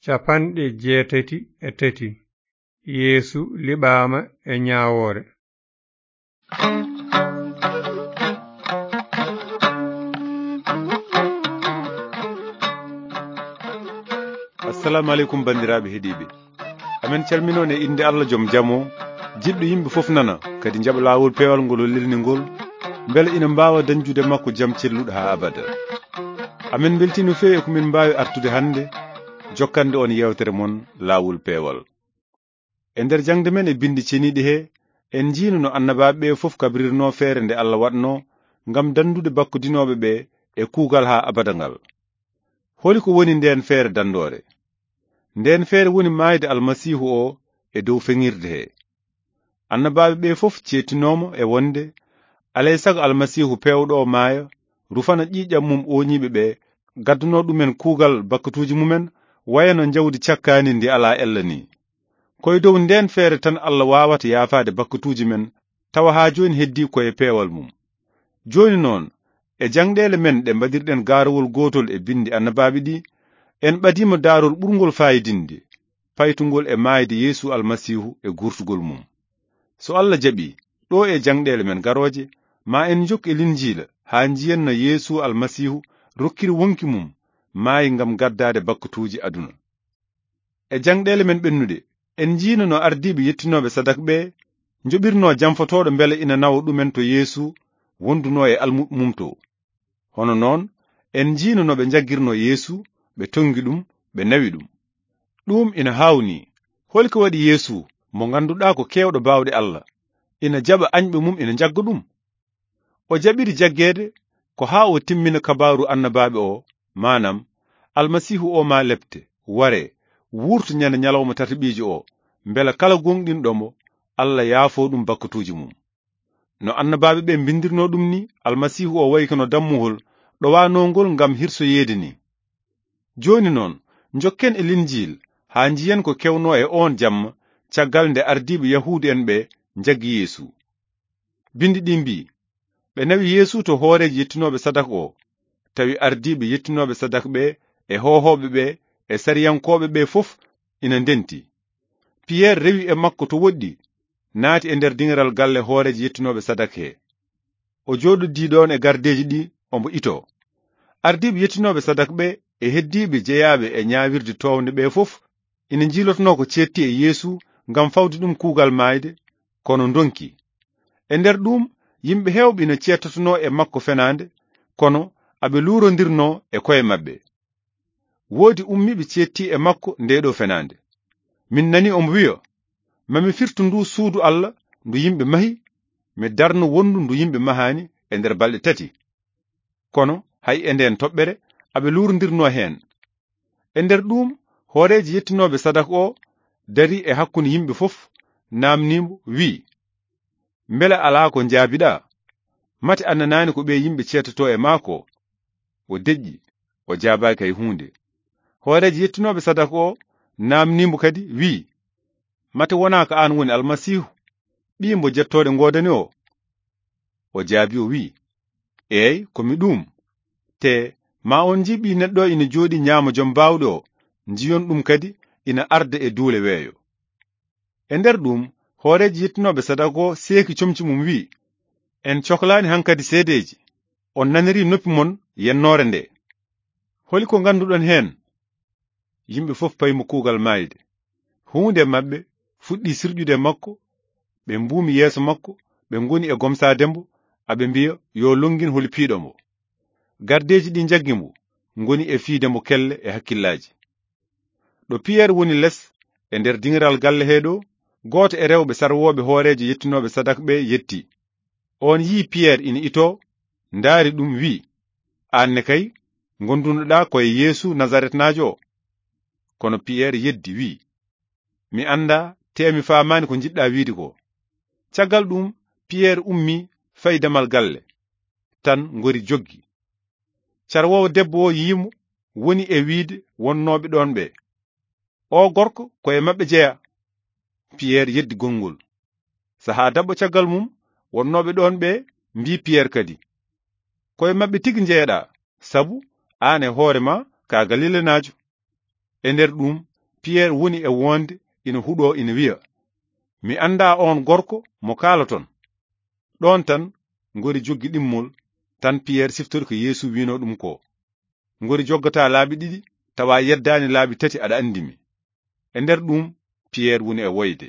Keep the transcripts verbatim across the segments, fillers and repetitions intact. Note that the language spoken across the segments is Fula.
Capanɗe jeetati e tati. Yeesu liɓaama e ñaawoore. Assalamu aleykum, banndiraaɓe heɗiiɓe. Amen calminoon e innde Allah joom jam o, jiɗɗo yimɓe fof nana, kadi njaɓa laawol peewal ngol o lelni ngol, mbele ina mbaawa dañjude makko jam celluɗo haa abada. Amen mbeltii no feewi e ko min mbaawi artude hannde, jokkande on yeewtere mon laawol peewal. E nder jaŋde men e binndi ceniiɗi he, en njiino no annabaaɓe ɓe fof kabrirnoo feere nde Allah waɗnoo ngam danndude bakkudinooɓe ɓe e kuugal haa abada ngal. Holi ko woni ndeen feere danndoore? Ndeen feere woni maayde Almasiihu o e dow feŋirde he. Annabaaɓe ɓe fof ceettinooma e wonde, alay sago Almasiihu peewɗo o maaya, rufana ƴiiƴam mum ooñiiɓe ɓe, gaddano ɗumen kuugal bakkatuuji mumen, wayano njawdi cakkaandi ndi alaa ella ni. Ko e dow ndeen feere tan Allah waawata yaafaade bakkatuuji men, tawa haa jooni heddii ko e peewal mum. Jooni noon, e jaŋɗeele men ɗe mbaɗirɗen gaarawol gootol e binndi annabaaɓe ɗi, en ɓadiima daarol ɓurngol faayidinde, paytungol e maayde Yeesu Almasiihu e guurtugol mum. So Allah jaɓii, ɗo e jaŋɗeele men garooje, ma en njokku e Linjiila haa njiyen no Yeesu Almasiihu rokkiri woŋki mum maayi ngam gaddaade bakkatuuji aduna. E jaŋɗeele men ɓennuɗe, en njiino no ardiiɓe yettinooɓe sadak ɓe njoɓirnoo jamfotooɗo mbele ina nawa ɗumen to Yeesu wondunoo e almuɓɓe mum to. Hono noon, en njiino no ɓe njaggirnoo Yeesu, ɓe toŋngi ɗum, ɓe nawi ɗum. Ɗum ina haawnii. Holi ko waɗi Yeesu, mo ngannduɗaa ko keewɗo baawɗe Allah, ina jaɓa añɓe mum ina njagga ɗum? O jaɓiri jaggeede ko haa o timmina kabaaru annabaaɓe o, maanam, Almasiihu o maa lepte, waree, wuurto ñande ñalawma tataɓiijo o, mbela kala gooŋɗinɗo mo, Allah yaafoo ɗum bakkatuuji mum. No annabaaɓe ɓe mbinndirnoo ɗum ni, Almasiihu o wayi kono dammuhol ɗowaanoongol ngam hirsoyeede ni. Jooni noon, njokken e Linjiil haa njiyen ko kewnoo e oon jamma caggal nde ardiiɓe Yahuudu en ɓe njaggi Yeesu. Binndi ɗi mbii, ɓe nawi Yeesu to hooreejo yettinooɓe sadak o, tawi ardiiɓe yettinooɓe sadak ɓe e hoohooɓe ɓe e sariyankooɓe ɓe fof ina ndenti. Piyeer rewi e makko to woɗɗi, naati e nder diŋiral galle hooreejo yettinooɓe sadak he. O jooɗodii ɗoon e gardeeji ɗi, omo itoo. Ardiiɓe yettinooɓe sadak ɓe e heddiiɓe jeyaaɓe e ñaawirde toownde ɓe fof ina njiilotonoo ko ceetti e Yeesu ngam fawde ɗum kuugal maayde, kono ndonki. E nder ɗum, yimɓe heewɓe ina ceettotonoo e makko fenaande, kono aɓe luurondirnoo e koye maɓɓe. Woodi ummiiɓe ceetti e makko ndee ɗoo fenaande. Min nani omo wiya, "Ma mi firtu ndu suudu Allah ndu yimɓe mahi, mi darno wonndu ndu yimɓe mahaani e nder balɗe tati." Kono hay e ndeen toɓɓere aɓe luurondirnoo heen. E nder ɗuum, hooreejo yettinooɓe sadak o darii e hakkunde yimɓe fof, naamnii mo, wii, "Mbele alaa ko njaabiɗaa? Mate a nanaani ko ɓee yimɓe ceetotoo e maa ko?" O deƴƴi, o jaabaaki hay huunde. Hooreejo yettinooɓe sadak o naamnii mo kadi, wii, "Mate wonaa ko aan woni Almasiihu, ɓii mbo jettooɗe ngoodani o?" O jaabii, o wii, "Eey, ko mi ɗuum. Te, ma on njii Ɓii Neɗɗo ina jooɗii ñaamo Jom Baawɗe o, njiyon ɗum kadi ina arda e duule weeyo." E nder ɗuum, hooreejo yettinooɓe sadak o seeki comci mum, wii, "En coklaani hankadi seedeeji, on nanirii noppi mon yennoore nde. Holi ko ngannduɗon heen?" Yimɓe fof payi mo kuugal maayde. Huunde e maɓɓe fuɗɗi sirƴude e makko, ɓe mbuumi yeeso makko, ɓe ngoni e gomsaade mbo, aɓe mbiya, "Yo lonngin holi piiɗo mbo." Gardeeji ɗi njaggi mbo, ngoni e fiyde mbo kelle e hakkillaaji. Ɗo Piyeer woni les e nder diŋiral galle hee ɗo, gooto e rewɓe sarwooɓe hooreejo yettinooɓe sadak ɓe yetti. Oon yii Piyeer ina itoo, ndaari ɗum, wii, "Aan ne kay, ngondunoɗaa ko e Yeesu Nasaretnaajo o." Kono Piyeer yeddi, wii, "Mi anndaa, tee mi faamaani ko njiɗɗaa wiide ko." Caggal ɗum, Piyeer ummii, fayi damal galle, tan ngori joggi. Carwoowo debbo o yii mo, woni e wiide wonnooɓe ɗoon ɓe, "Oo gorko ko e maɓɓe jeyaa." Piyeer yeddi gonngol. Sahaa daɓɓo caggal mum, wonnooɓe ɗoon ɓe mbii Piyeer kadi, "Ko e maɓɓe tigi njeyaɗaa, sabu aan e hoore maa ka Galilanaajo." E nder ɗuum, Piyer woni e woonde ina huɗoo ina wiya, "Mi anndaa oon gorko mo kaaloton." Ɗoon tan ngori joggi ɗimmol, tan Piyer siftori ko Yeesu wiinoo ɗum ko. Ngori joggataa laabi ɗiɗi, tawa yeddaani laabi tati aɗa anndi mi. E nder ɗum, Piyer woni e woyde.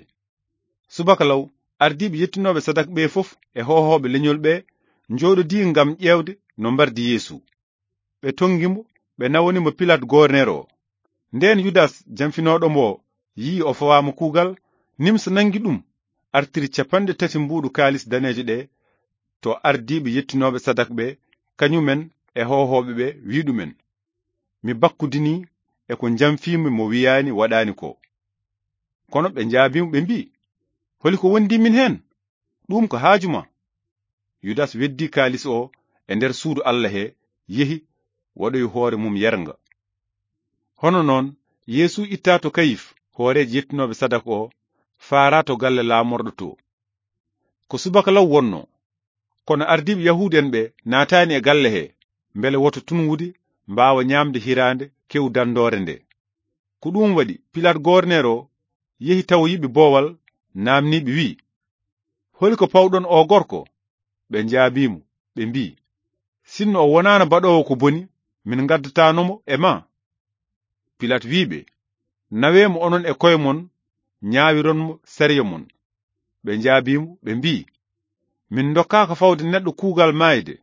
Subaka law, ardiiɓe yettinooɓe sadak ɓe fof e hoohooɓe leñol ɓe njooɗodii ngam ƴeewde no mbardi Yeesu. Ɓe tonngi mo, ɓe nawani mo Pilat goorneer o. Ndeen Yudas, jamfinooɗo mo, yi'i o fawaama kuugal, nimsa nanngi ɗum, artiri capanɗe tati mbuuɗu kaalis daneejo ɗe to ardiiɓe yettinooɓe sadak ɓe, kañumen e hoohooɓe ɓe, wi'i ɗumen, "Mi bakkudinii e ko njamfiimi mo wiyaani waɗaani ko." Kono ɓe njaabii mo, ɓe mbi'i, "Holi ko wondi min heen? Ɗum ko haaju ma." Yudas weddi kaalis o e nder suudu Alla he, yehi, waɗoyi hoore mum yernga. Hono noon, Yeesu itta to Kayif, hooreejo yettinooɓe sadak o, faara to galle laamorɗo to. Ko subaka law wonno, kono ardiiɓe Yahuud en ɓe naataani e galle he, mbele woto tunwude mbaawa ñaamde hiraande kew danndoore nde. Ko ɗum waɗi Pilat goorneer o yehi tawoyi ɓe boowal, naamnii ɓe, wi'i, "Holi ko pawɗon o gorko?" Ɓe njaabii mo, ɓe mbi'i, "Sinno o wonaano baɗoowo ko boni, min ngaddataano mo e ma." Pilat wi'i ɓe, "Nawee mo onon e koye mon, ñaawiron mo sariya mon." Ɓe njaabii mo, ɓe mbi'i, "Min ndokkaaka fawde neɗɗo kuugal maayde."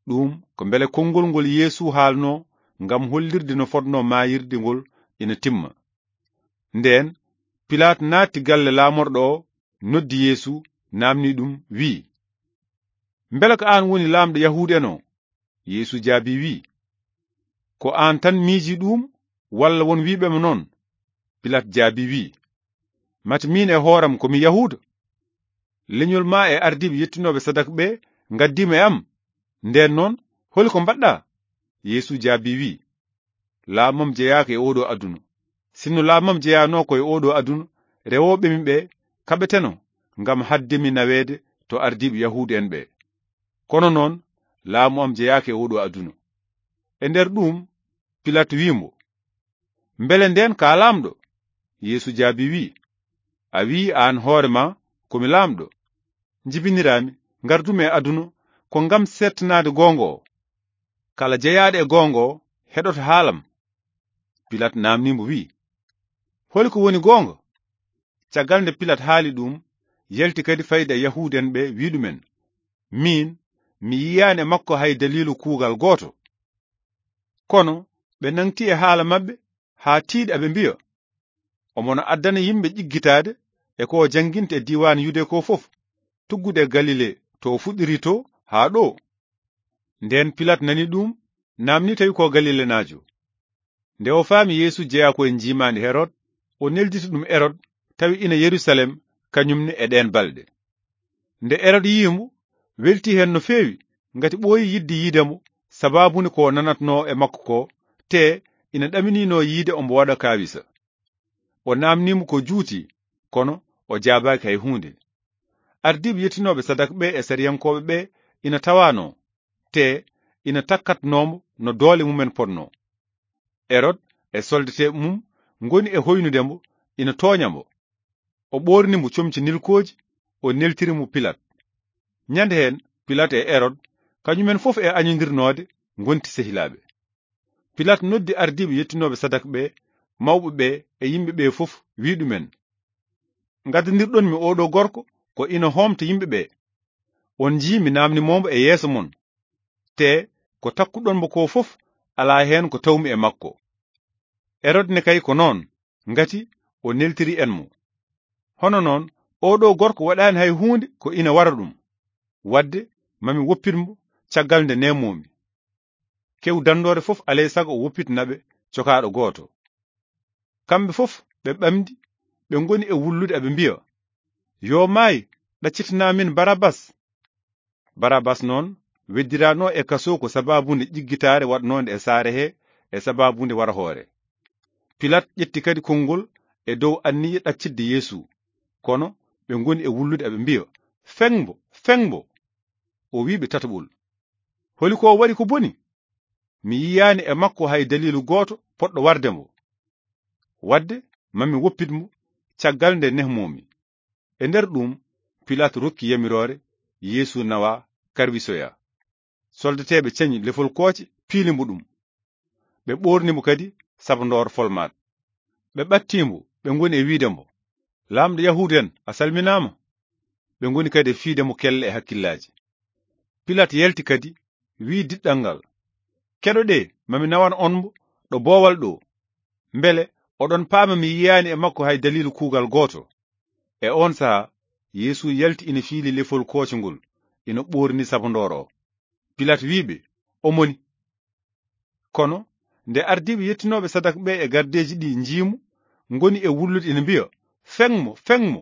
Ɗum ko mbele konngol ngol Yeesu haalnoo ngam hollirde no fotnoo maayirde ngol ina timma. Ndeen Pilaat naatti galle laamorɗo o, noddi Yeesu, naamnii ɗum, wi'i, "Mbele ko aan woni laamɗo Yahuud en o?" Yeesu jaabii, wi'i, "Ko aan tan miijii ɗuum, walla won wi'ɓe ma noon?" Pilaat jaabii, wi'i, "Mate miin e hooram ko mi Yahuuda? Leñol maa e ardiiɓe yettinooɓe sadak ɓe ngaddii ma e am. Ndeen noon, holi ko mbaɗɗaa?" Yeesu jaabii, wi'i, "Laamam jeyaaka e oo ɗoo aduna. Sinno laamam jeyaanoo ko e oo ɗoo aduna, rewooɓe mi ɓe kaɓeteno ngam haɗde mi naweede to ardiiɓe Yahuud en ɓe. Kono noon, laamu am jeyaaka e oo ɗoo aduna." E nder ɗuum, Pilaat wi'i mo, "Mbele ndeen ko a laamɗo?" Yeesu jaabii, wi'i, "A wi'i aan hoore maa ko mi laamɗo. Njibiniraami, ngardumi e aduna ko ngam seettanaade goonga o. Kala jeyaaɗo e goonga o heɗoto haalam." Pilaat naamnii mo, wi'i, "Holi ko woni goonga?" Caggal nde Pilaat haali ɗuum, yalti kadi fayda e Yahuud en ɓe, wi'i ɗumen, "Miin, mi yiyaani e makko hay daliilu kuugal gooto." Kono ɓe nangti e haala maɓɓe haa tiiɗa, ɓe mbi'a, "Omo no addana yimɓe ƴiggitaade e ko o jannginta e diiwaan Yude ko fof, tuggude e Galile to o fuɗɗiri to haa ɗo." Ndeen Pilaat nani ɗum, naamni tawi ko Galilenaajo. Nde o faami Yeesu jeyaa ko e njiimaandi Herod, o nelditi ɗum Erod, tawi ina Yerusalem, kañum ne e ɗeen balɗe. Nde Erod yii mo, welti heen no feewi, ngati ɓooyi yiɗde yiide mo, sabaabu nde ko nanatnoo e makko ko, te ina ɗaminino yiide omo waɗa kaawisa. O naamnii mo ko juuti, kono o jaabaaki hay huunde. Ardiiɓe yettinooɓe sadak ɓe e sariyankooɓe ɓe ina tawaanoo, te ina takkatnoo mo no doole mumen potnoo. Erod e soldateeɓe mum ngoni e hoynude mo, ina tooña mo. O ɓoorni mo comci nilkooji, o neltiri mo Pilaat. Ñande heen, Pilaat e Erod, kañumen fof e añondirnoode, ngonti sehilaaɓe. Pilaat noddi ardiiɓe yettinooɓe sadak ɓe, mawɓe ɓe e yimɓe ɓe fof, wi'i ɗumen, "Ngaddandirɗon mi oo ɗoo gorko ko ina hoomta yimɓe ɓe. On njii mi naamni mo e yeeso mon, te ko takkuɗon mo ko fof alaa heen ko tawmi e makko." Erod ne kay ko noon, ngati o neltiri en mo. Hono noon, oo ɗoo gorko waɗaani hay huunde ko ina wara ɗum. Waɗde, mami woppit mo caggal nde neemoo-mi. Kew danndoore fof alay sago o woppitna ɓe cokaaɗo gooto. Kamɓe fof ɓe ɓamdi, ɓe ngoni e wullude, aɓe mbiya, "Yo maay, ɗaccitanaa min Barabbas." Barabbas noon weddiraanoo e kasoo ko sabaabu nde ƴiggitaare waɗnoonde e saare he e sabaabu nde wara hoore. Pilaat ƴetti kadi konngol e dow anniya ɗaccitde Yeesu, kono ɓe ngoni e wullude, aɓe mbiya, "Feŋ mbo, feŋ mbo!" O wi'i ɓe tataɓol, "Holi ko o waɗi ko boni? Mi yiyaani e makko hay daliilu gooto poɗɗo warde mbo." Waɗde, mami woppit mo caggal nde nehmoomi. E nder ɗum, Pilaat rokki yamiroore Yeesu nawa karwisoya. Soldateeɓe cañi lefol kooce, piili mbo ɗum. Ɓe ɓoorni mbo kadi sabandoor folmaat. Ɓe ɓattii mbo, ɓe ngoni e wiide mbo, "Laamɗo Yahuudu'en, a salminaama." Ɓe ngoni kadi e fiide mbo kelle e hakkillaaji. Pilaat yalti kadi, wi'i diɗɗal ngal, "Keɗoɗee, mami nawan on mbo ɗo boowal ɗo. Mbele oɗon paama mi yiyaani e makko hay daliilu kuugal gooto." E oon sahaa, Yeesu yalti ina fiili lefol kooce ngol, ina ɓoorni sabandoor o. Pilaat wi'i ɓe, "O moni." Kono nde ardiiɓe yettinooɓe sadaka ɓe e gardeeji ɗi njii mo, ngoni e wullude ina mbiya, "Feŋ mo, feŋ mo!"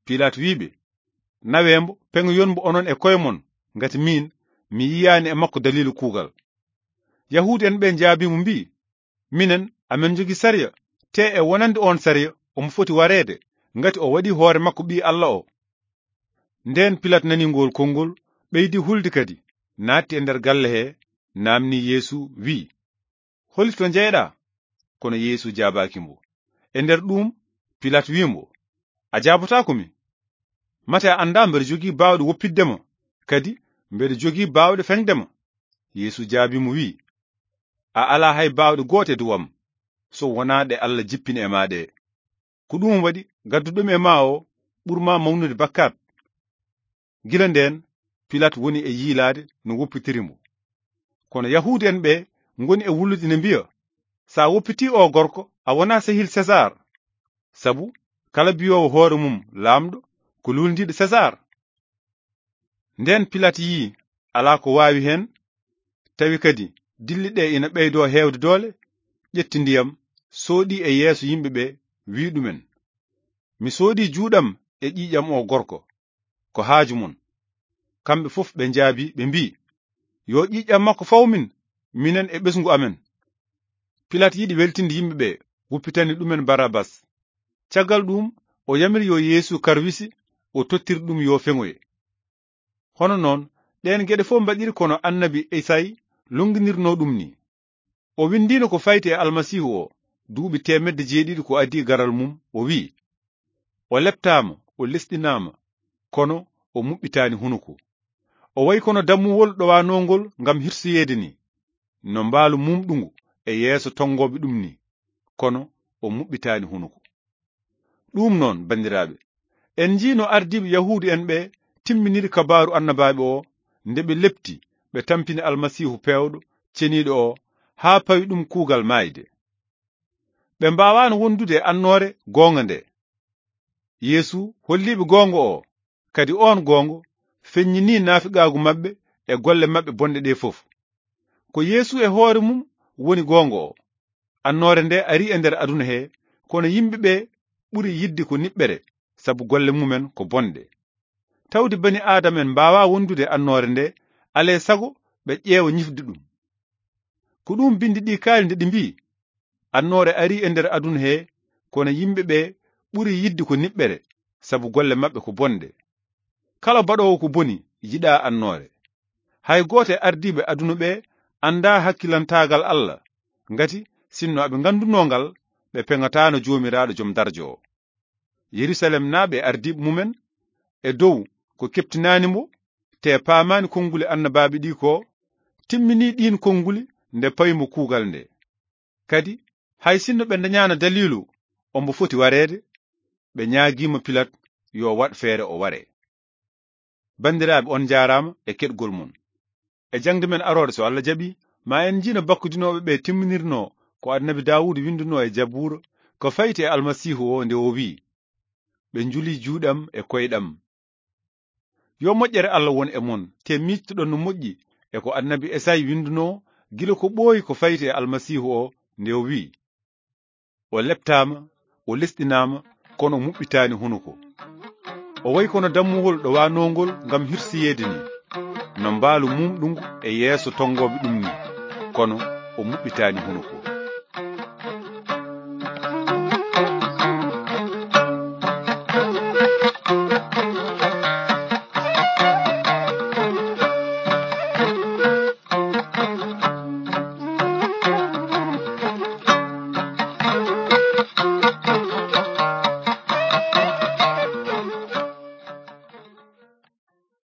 Pilaat wi'i ɓe, "Nawee mbo, peŋoyon mbo onon e koye mon, ngati miin, mi yiyaani e makko daliilu kuugal." Yahuudu'en ɓe njaabii mo mbi'i, "Minen, amen njogii sariya, tee e wonande oon sariya, omo foti wareede, ngati o waɗii hoore makko Ɓii Alla o." Ndeen Pilaat nani ngool konngol, ɓeydi hulde kadi, naatti e nder galle he, naamnii Yeesu, wi'i, "Holi to njeyɗaa?" Kono Yeesu jaabaaki mbo. E nder ɗuum, Pilaat wi'i mbo, "A jaabotaako mi? Mate a anndaa mbeɗa jogii baawɗe woppitde ma, kadi mbeɗa jogii baawɗe feŋde ma?" Yeesu jaabii mo, wi'i, "A alaa hay baawɗe goote e dow am, so wonaa ɗe Alla jippini e maa ɗe. Ko ɗuum waɗi gadduɗomi e maa o ɓuri maa mawnude bakkaat." Gila ndeen, Pilaat woni e yiilaade no woppitiri mbo. Kono Yahuudu'en ɓe ngoni e wullude ina mbiya, "So a woppitii oo gorko, a wonaa sehil Sesaar. Sabu kala biyoowo hoore mum laamɗo, ko luulndiiɗo Sesaar." Ndeen Pilaat yi'i alaa ko waawi heen, tawi kadi dilli ɗe ina ɓeydoo heewde doole, ƴetti ndiyam, sooɗii e yeeso yimɓe ɓe, wi'i ɗumen, "Mi soodii juuɗam e ƴiiƴam o gorko. Ko haaju mon?" Kamɓe fof ɓe njaabii, ɓe mbi'i, "Yo ƴiiƴam makko faw min, minen e ɓesngu amen." Pilaat yiɗi weltinde yimɓe ɓe, wuppitani ɗumen Barabas. Caggal ɗuum, o yamiri yo Yeesu karwisi, o tottiri ɗum yo feŋoye. Hono noon, ɗeen geɗe fof mbaɗiri kono annabi Esayi lonnginirnoo ɗum ni. O winndiino ko fayti e Almasiihu o, duuɓi teemedde jeeɗiɗi ko adii garal mum, o wi'i, "O leptaama, o lesɗinaama, kono o muɓɓitaani hunuko. O wayi kono dammuwol ɗowaanoongol ngam hirsoyeede ni, no mbaalu muumɗungu e yeeso tonngooɓe ɗum ni, kono o muɓɓitaani hunuko." Ɗum noon, banndiraaɓe, en njiino ardiiɓe Yahuudu'en ɓe timminiri kabaaru annabaaɓe o, nde ɓe lepti, ɓe tampini Almasiihu peewɗo, ceniiɗo o, haa pawi ɗum kuugal maayde. Ɓe mbaawaano wondude e annoore goonga nde. Yeesu holliiɓe goonga o, kadi oon goonga feññinii naafiqaagu maɓɓe e golle maɓɓe bonɗe ɗe fof. Ko Yeesu e hoore mum woni goonga o. Annoore nde arii e nder aduna he, kono yimɓe ɓe ɓuri yiɗde ko niɓɓere, sabu golle mumen ko bonɗe. Tawde bani Aadama en mbaawaa wondude e annoore nde, alee sago ɓe ƴeewa ñifde ɗum. Ko ɗum binndi ɗi kaali nde ɗi mbii, "Annoore arii e nder aduna he, kono yimɓe ɓe ɓuri yiɗde ko niɓɓere, sabu golle maɓɓe ko bonɗe." Kala baɗoowo ko boni yiɗaa annoore. Hay gooto e ardiiɓe aduna ɓe anndaa hakkilantaagal Alla, ngati sinno aɓe nganndunoo ngal, ɓe peŋataano Joomiraaɗo Jom Darjo o. Yerusalemnaaɓe e ardiiɓe mumen e dow ko keɓtinaani mbo, te paamaani konnguli annabaaɓe ɗi ko, timminii ɗiin konnguli nde pawi mbo kuugal nde. Kadi, hay sinno ɓe ndañaano daliilu ombo foti wareede, ɓe ñaagiima Pilaat yo waɗ feere o waree. Banndiraaɓe, on njaaraama e keɗgol mon. E jaŋde men arooɗe, so Alla jaɓi, ma en njiino bakkudinooɓe ɓe timminirnoo ko Annabi Daawuda winndunoo e Jabuura ko fayti e Almasiihu o, nde o wi'i, "Ɓe njuli juuɗam e koyɗam." Yo moƴƴere Alla won e mon, te miijtoɗon no moƴƴi e ko Annabi Esayi winndunoo gila ko ɓooyi ko fayti e Almasiihu o, nde o wi'i, "O leptaama, o lesɗinaama, kono o muɓɓitaani hunuko. O wayi kono dammuwol ɗowaanoongol ngam hirsoyeede ni, no mbaalu muumɗungu e yeeso tonngooɓe ɗum ni, kono o muɓɓitaani hunuko."